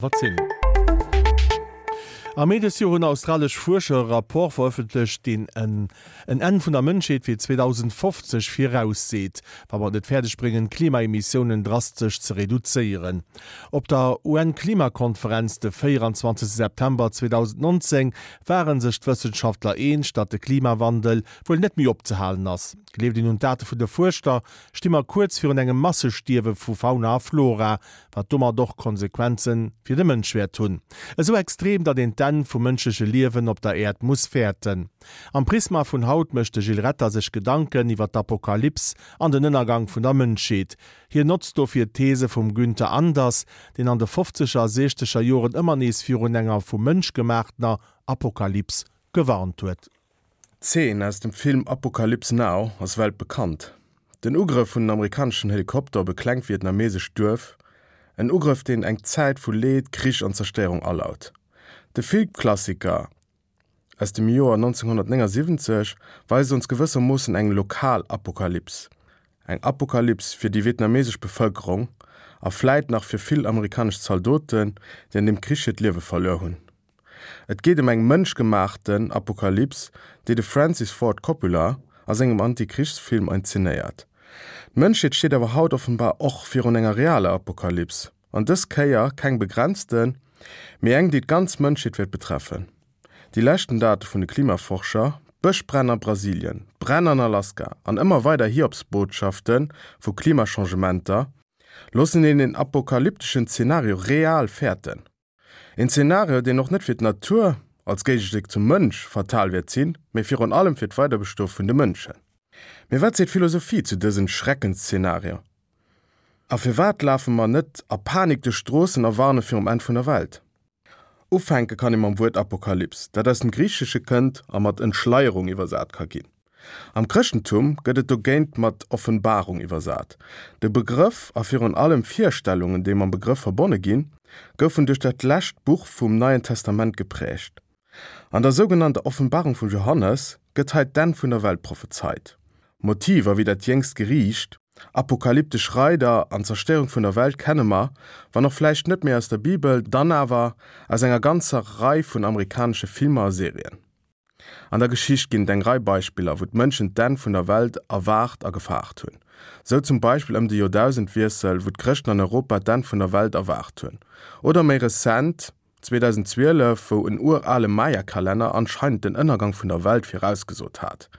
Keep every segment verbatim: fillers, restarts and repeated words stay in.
Wat sinn. Am Mee dëst Joer hunn australesch Fuerscher e Rapport verëffentlecht, deen en en Enn vun der Mënschheet fir zweedausendfofzeg virausseet, wa mer et net fäerdeg bréngen, d'Klimaemissiounen drastesch ze reduzéieren. Op der U N-Klimakonferenz de véieranzwanzegste September zweedausendnonzéng ware sech d'Wëssenschaftler eens, datt de Klimawandel wuel net méi opzehalen ass. Gleeft een un d'Date vun de Fuerschter, sti mer kuerz virun engem Massestierwe vu Fauna a Flora, wat domat och Konsequenze fir de Mënsch wäert hunn. Esou extrem, datt een d'Enn vum mënschleche Liewen op der Äerd muss fäerten. Am Prisma vun haut mécht de Gilles Retter sech Gedanken iwwer d'Apokalyps an den Ënnergang vun der Mënschheet. Hien notzt dofir d'These vum Günther Anders, deen an de fofzeger a siechzeger Joren ëmmer nees virun enger vum Mënsch gemaachtener Apokalyps gewarnt huet. D'Zeen aus dem Film Apocalypse Now ass weltbekannt. Den Ugrëff vun den amerikaneschen Helikopter op e klengt vietnamesescht Duerf, en Ugrëff deen eng Zäit vu Leed, Krich an Zerstéierung alaut. De Filmklassiker aus dem Joer nonzénghonnertnéngasiwwenzeg weist ons gewëssermoossen eng lokal Apokalyps, eng Apokalyps fir déi vietnamesesch Bevëlkerung a vläit nach fir vill amerikanesch Zaldoten, déi an deem Krich hiert Liewe verluer hunn. Et geet ëm eng mënschgemaachten Apokalyps, déi de Francis Ford Coppola a sengem Antikrichsfilm inszenéiert. D'Mënschheet steet awer haut offenbar och virun enger realer Apokalyps, an dës Kéier keng begrenzten, mee eng, déi d'ganz Mënschheet wäert betreffen. Déi leschten Date vun de Klimaforscher, Bëschbränn a Brasilien, Bränn an Alaska an ëmmer weider Hiobsbotschafte vu Klimachangementer, loossen een en apokalypteschen Zenario real fäerten. En Zenario, deen och net fir d'Natur, als Géigestéck zum Mënsch, fatal wäert sinn, mee virun allem fir d'Weiderbestoe vun de Mënschen. Mee wat seet d'Philosophie zu dësen Schreckensszenario? A firwat lafe mer net a Panik duerch d'Stroossen a warne virum Enn vun der Welt? Ufänke kann ee mam Wuert Apokalyps, dat aus dem Griichesche kënnt a mat Entschleierung iwwersat ka ginn. Am Chrëschtentum gëtt et dogéint mat Offenbarung iwwersat. De Begrëff a virun allem Virstellungen, déi mam Begrëff verbonne ginn, goufen duerch dat lescht Buch vum Neien Testament gepräägt. An der sougenannter Offenbarung vum Johannes gëtt hei d'Enn vun der Welt prophezeit. Motiver wéi dat jéngst Geriicht, apokalyptesch Reider an d'Zerstéierung vun der Welt kenne mer, wann och vläicht net méi aus der Bibel, dann awer aus enger ganzer Rei vun amerikanesche Filmer a Serien. An der Geschicht ginn et eng Rei Beispiller, wou d'Mënschen d'Enn vun der Welt erwaart a gefaart hunn. Sou zum Beispill ëm de Joerdausendwiessel, wou d'Chrëschten an Europa d'Enn vun der Welt erwaart hunn. Oder méi rezent, zweedausenzwielef, wou en urale Maya-Kalenner anscheinend den Ënnergang vun der Welt virausgesot hat.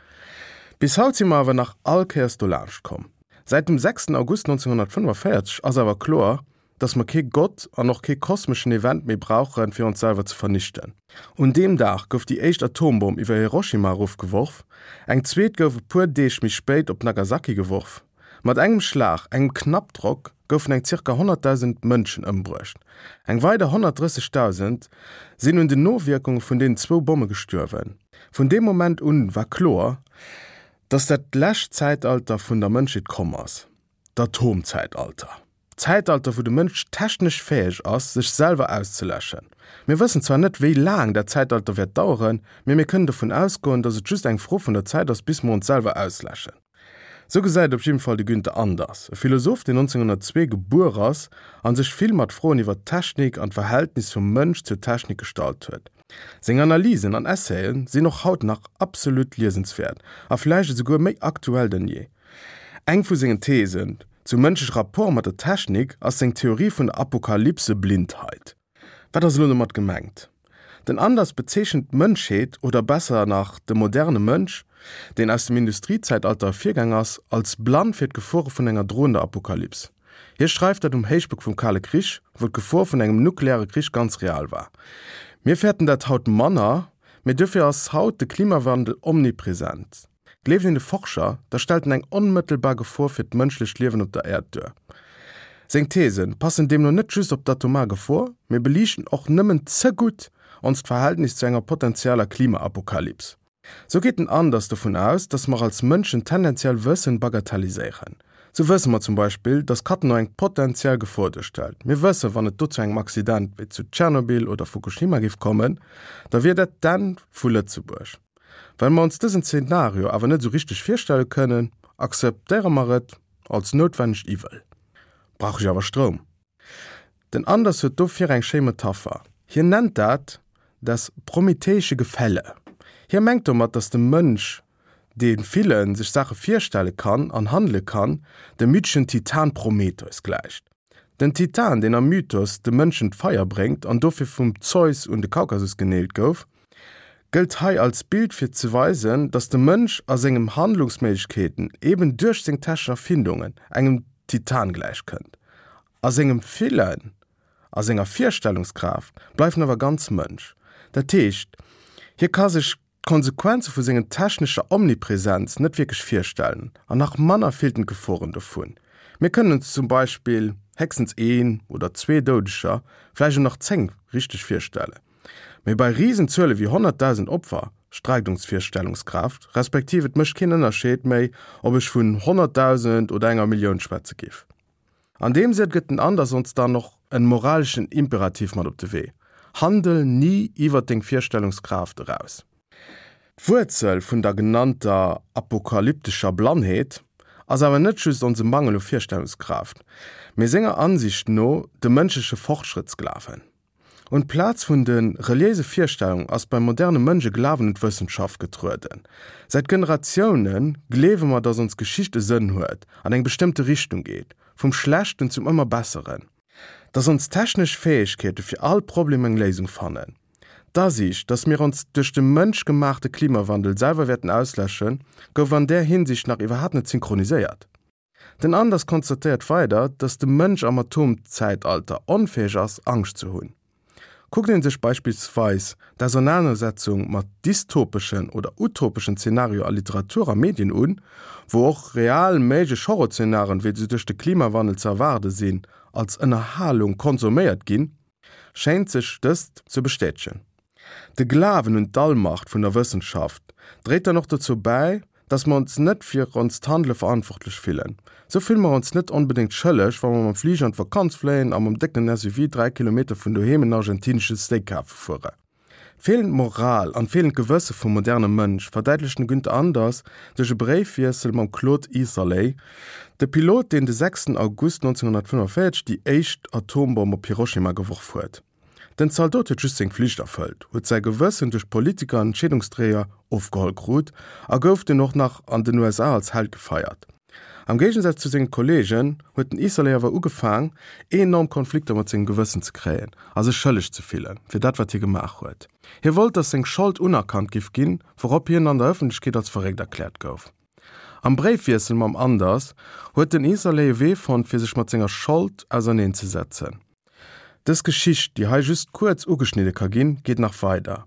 Bis haut si mer awer nach all Kéiers dolaanscht komm. Säit dem sechsten August nonzénghonnertfënnefenvéierzeg ass awer kloer, dass mer kee Gott an och kee kosmeschen Event méi brauchen, fir ons selwer ze vernichten. Un deem Dag gouf déi éischt Atombomm iwwer Hiroshima erofgeworf, eng zweet gouf e puer Deeg méi spéit op Nagasaki geworf. Mat engem Schlag, engem Knappdrock, goufen eng zirka honnertdausend Mënschen ëmbruecht. Eng weider honnertdrëssegdausend sinn un den Nowierkunge vun deenen zwou Bomme gestuerwen. Vun deem Moment un war kloer, dass dat lescht Zäitalter vun der Mënschheet komm ass, d'Atomzäitalter. D'Zäitalter, wou de Mënsch technesch fäeg ass, sech selwer auszeläschen. Mir wëssen zwar net, wéi laang dat Zäitalter wäert daueren, mee mir kënnen dovun ausgoen, dass et just eng Fro vun der Zäit ass, bis mer ons selwer ausläschen. Sou gesäit et op jidden Fall de Günther Anders, e Philosoph, deen nonzénghonnertzwee gebuer ass a sech vill mat Froen iwwer d'Technik an d'Verhältnis vum Mënsch zur Technik gestallt huet. Seng Analysen an Essayen sinn och haut nach absolut liesenswäert a vläicht esouguer méi aktuell denn jee. Eng vu sengen Thesen zum mënschleche Rapport mat der Technik ass seng Theorie vun der Apokalypse-Blindheit. Wat ass elo domat gemengt? Den Anders bezeechent d'Mënschheet, oder besser nach de moderne Mënsch, deen aus dem Industriezäitalter ervirgaang ass, als blann fir d'Gefore vun enger droender Apokalyps. Hie schreift dat um Héichpunkt vum Kale Krich, wou d'Gefor vun engem nukleare Krich ganz real war. Mir fäerten dat haut manner, mee duerfir ass haut de Klimawandel omnipresent. Gleeft een de Forscher, da stellt en eng onmëttelbar Gefor fir d'mënschlecht Liewen op der Äerd duer. Seng These passen deemno net just op d'atomar Gefor, mee beliichten och nëmmen ze gutt onst Verhältnis zu enger potenzieller Klimaapokalyps. Sou geet den Anders dovun aus, dass mer als Mënschen tendenziell Wëssen bagatelliséieren. Sou wësse mer zum Beispill, dass Cattenom eng potentiell Gefor duerstellt. Mir wëssen, wann et do zu engem Accident wéi zu Tschernobyl oder Fukushima géif kommen, da wier dat d'Enn vu Lëtzebuerg. Well mer ons dësen Zenario awer net esou richteg virstelle kënnen, akzeptéiere mer et als noutwennegt Iwwel. Brauch ech awer Stroum? Den Anders huet dofir eng schéi Metapher. Hien nennt dat das prometheische Gefälle. Hie mengt domat, dass de Mënsch, dee fillen, sech Saache virstelle kann an handele kann, dem mytheschen Titan Prometheus gläicht. Den Titan, deen am Mythos de Mënschen d'Feier bréngt an dofir vum Zeus un de Kaukasus geneelt gouf, gëllt hei als Bild fir ze weisen, dass de Mënsch a sengem Handlungsméiglechkeeten eben duerch seng technesch Erfindungen engem Titan gläich kënnt. A sengem Fillen, a senger Virstellungskraaft bleift en awer ganz Mënsch. Dat heescht, hie ka sech d'Konsequenze vu sengen technescher Omnipresenz net wierklech virstellen an nach manner fillt en d'Geforen dovun. Mir kënnen ons zum Beispill héchstens een oder zwee Doudeger, vläicht och nach zéng, richteg virstellen. Mee bei Risenzuele wéi honnertdausend Opfer streikt ons d'Virstellungskraaft, respektiv et mécht keen Ënnerscheed méi, ob ech vun honnertdausend oder enger Millioun schwätze géif. An deem Sënn gëtt den Anders ons dann och en moraleschen Imperativ mat op de Wee, Handel ni iwwer deng Virstellungskraaft eraus. D'Wuerzel vun der genannter apokalyptescher Blannheet ass awer net just onse Mangel u Virstellungskraaft, mee senger Ansicht no de mënschleche Fortschrëttsglawen. Un d'Plaz vun de reliéise Virstellungen ass beim moderne Mënsch e Glawen un d'Wëssenschaft getrueden. Säit Generatioune gleewe mer, dass ons Geschicht e Sënn huet, an eng bestëmmte Richtung geet, vum Schlechten zum ëmmer Besseren, dass ons technesch Fäegkeete fir all Problem eng Léisung fannen. D'Asiicht, dass mir ons duerch de Mënsch gemaachte Klimawandel selwer wäerten ausläschen, gouf an där Hinsicht nach iwwerhaapt net synchroniséiert. Den Anders konstatéiert weider, dass de Mënsch am Atomzäitalter onfäeg ass, Angscht ze hunn. Kuckt een sech beispillsweis d'Ausernanersetzung mat dystopeschen oder utopeschen Zenarioe a Literatur a Medien un, wou och real méiglech Horrorzenarien, wéi se duerch de Klimawandel ze erwaarde sinn, als Ënnerhalung konsuméiert ginn, schéint sech dëst ze bestätegen. De Glawen un d'Allmacht vun der Wëssenschaft dréit dann och dozou bäi, dass mer ons net fir onst Handele verantwortlech fillen. Sou fille mer ons net onbedéngt schëlleg, wa mer mam Fliger an d'Vakanz fléien a mam décken S U V dräi Kilometer vun doheem en argentinesche Steak kafe fuere. D'feelend Moral an d'feelend Gewësse vum moderne Mënsch verdäitlecht den Günther Anders duerch e Bréifwiessel mam Claude Eatherly, de Pilot, deen de sechsten August nonzénhunnertfënnefenvéierzeg déi éischt Atombomm op Hiroshima geworf huet. Den Zaldot huet just seng Flicht erfëllt, huet säi Gewëssen duerch Politiker an Entscheedungsdréier ofgeholl krut a gouf dunn och nach an den U S A als Held gefeiert. Am Géigensaz zu sengen Kolleegen huet den Eatherly awer ugefaang, enorm Konflikter mat sengem Gewëssen ze kréien a sech schëlleg ze fillen, fir dat wat hie gemaach huet. Hie wollt, datt seng Schold unerkannt giff ginn, wourop hien an der Ëffentlechkeet als verréckt erkläert gouf. Am Bréifwiessel mam Anders huet den Eatherly e Wee fonnt, fir sech mat senger Schold auserneenzesetzen. Dës Geschicht, déi hei just kuerz ugeschnidde ka ginn, geet nach weider.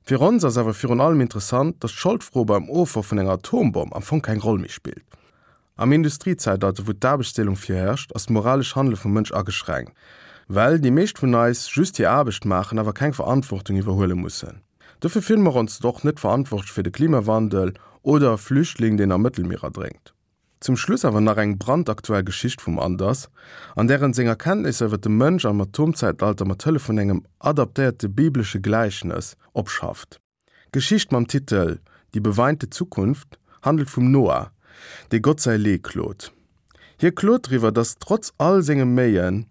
Fir ons ass awer virun allem interessant, datt d'Scholdfro beim Ofworf vun enger Atombomm am Fong keng Roll méi spillt. Am Industriezäitalter, wou d'Aarbechtsdeelung virherrscht, ass d'moralesch Handele vum Mënsch ageschränkt, well déi meescht vun eis just hir Aarbecht maachen, awer keng Verantwortung iwwerhuele mussen. Dofir fille mer ons och net verantwortlech fir de Klimawandel oder e Flüchtling, deen am Mëttelmier erdrénkt. Zum Schluss awer nach eng brandaktuell Geschicht vum Anders, an där en seng Erkenntnisser iwwer de Mënsch am Atomzäitalter mat Hëllef vun engem adaptéierte biblesche Gläichnes opschafft. D'Geschicht mam Titel Die beweinte Zukunft handelt vum Noah, dee Gott säi Lee klot. Hie klot driwwer, datt trotz all senge Méien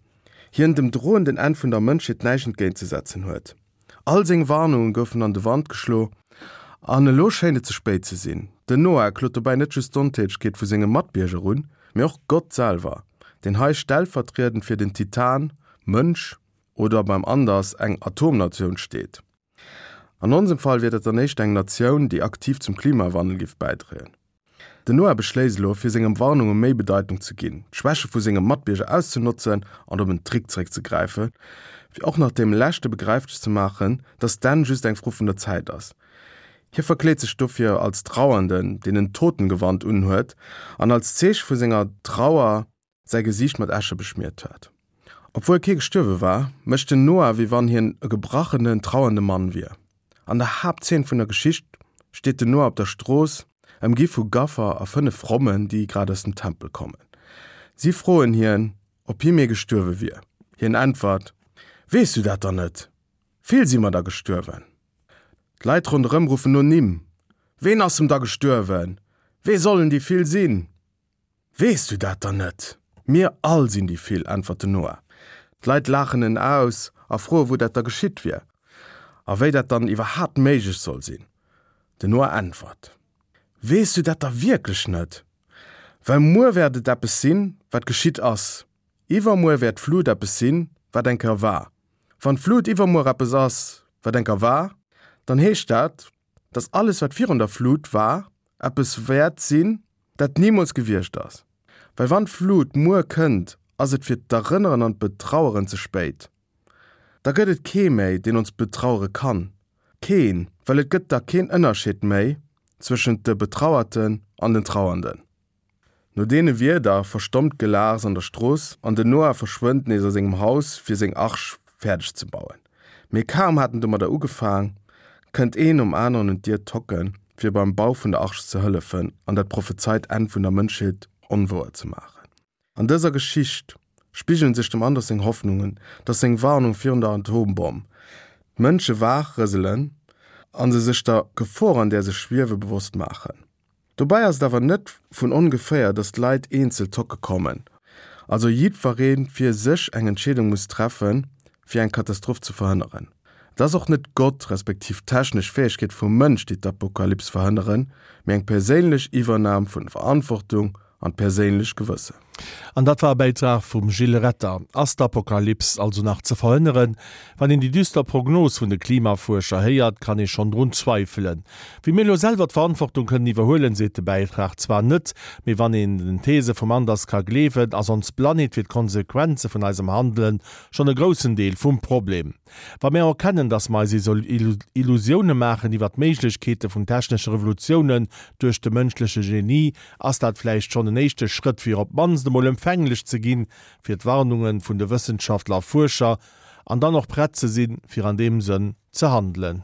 hien dem drohenden Enn vun der Mënschheet näischt entgéintzesetzen huet. All seng Warnunge goufen an de Wand geschlo an elo schéint et ze spéit ze sinn. Den Noah klot dobäi net just d'Ontätegkeet vu senge Matbierger un, mee och Gott selwer, deen hei stellvertriedend fir den Titan, Mënsch oder beim Anders eng Atomnatioun steet. An onsem Fall wier dat dann éischter eng Natioun, déi aktiv zum Klimawandel géif bäidroen. Den Noah beschléisst elo, fir senge Warnunge méi Bedeitung ze ginn, d'Schwäche vu senge Matbierger auszenotzen an op en Trick zeréckzegräifen, fir och nach deem Leschte begräiflech ze maachen, datt d'Enn just eng Fro vun der Zäit ass. Hie verkleet sech dofir als Trauernden, deen en Totengewand unhuet an als Zeeche vu senger Trauer säi Gesiicht mat Äsche beschmiert huet. Obwuel kee gestuerwe war, mécht den Noah, wéi wann hien e gebrachenen, trauernde Mann wier. An der Haaptzeen vun der Geschicht steet den Noah op der Strooss, ëmgi vu Gaffer a fënnef Frommen, déi grad aus dem Tempel kommen. Si froen hien, ob hie méi gestuerwe wier. Hien äntwert, Weess du dat dann net? Vill si mer da gestuerwen. D'Leit ronderëm ruffen no Nimm. Ween ass em da gestuerwen? Wee sollen déi vill sinn? Weess du dat dann net? Mir all sinn déi vill, äntwert den Noah. D'Leit laachen en aus a froe wou dat da geschitt wier a wéi dat dann iwwerhaapt méiglech soll sinn. Den Noah äntwert: Weess du dat da wierklech net? Well muer wäert et eppes sinn, wat geschitt ass. Iwwermuer wäert d'Flut eppes sinn, wat eng Kéier war. Wann d'Flut iwwermuer eppes ass, wat eng Kéier war, dann heescht dat, dass alles, wat virun der Flut war, eppes wäert sinn, dat nimools gewiescht ass. Well wann d'Flut muer kënnt, ass et fir d'Erënneren an d'Betraueren ze spéit. Da gëtt et kee méi, deen ons betrauere kann. Keen, well et gëtt da keen Ënnerscheed méi zwëschent de Betrauerten an den Trauernden. No deene Wierder verstommt d'Gelaachs an der Strooss an den Noah verschwënnt nees a sengem Haus fir seng Arch fäerdeg ze bauen. Mee kaum hat en domadder ugefaang, kënnt een nom aneren un d'Dier tocken, fir beim Bau vun der Arch ze hëllefen an dat prophezeit Enn vun der Mënschheet onwouer ze maachen. An dëser Geschicht spigelen sech dem Anders seng Hoffnungen, dass seng Warnung virun der Atombomm d'Mënsche waach rëselen an se sech der Gefor an där se schwiewe bewosst maachen. Dobäi ass et awer net vun ongeféier, dass d'Leit eenzel tocke kommen, also jiddweree fir sech eng Entscheedung muss treffen, fir eng Katastroph ze verhënneren. Et ass och net Gott respektiv d'technesch Fäegkeet vum Mënsch, déi d'Apokalyps verhënneren, mee eng perséinlech Iwwernam vun Verantwortung an d'perséinlecht Gewëssen. An dat war e Bäitrag vum Gilles Retter. Ass d'Apokalyps also nach ze verhënneren? Wann een déi düster Prognos vun de Klimafuerscher héiert, kann ee schonn drun zweifelen. Wéi mir elo selwer d'Verantwortung kënnen iwwerhuelen, seet de Bäitrag zwar net, mee wann een den These vum Anders ka gleewen, ass ons Planet fir d'Konsequenze vun eisem Handelen schonn e groussen Deel vum Problem. Wa mir erkennen, dass mer eis Illusioune maachen iwwer d'Méiglechkeete vun technesche Revolutiounen duerch de mënschleche Genie, ass dat vläicht schonn en éischte Schrëtt fir op d'mannst emol empfänglech ze ginn fir d'Warnunge vun de Wëssenschaftler a Fuerscher an dann och prett ze sinn, fir an deem Sënn ze handelen.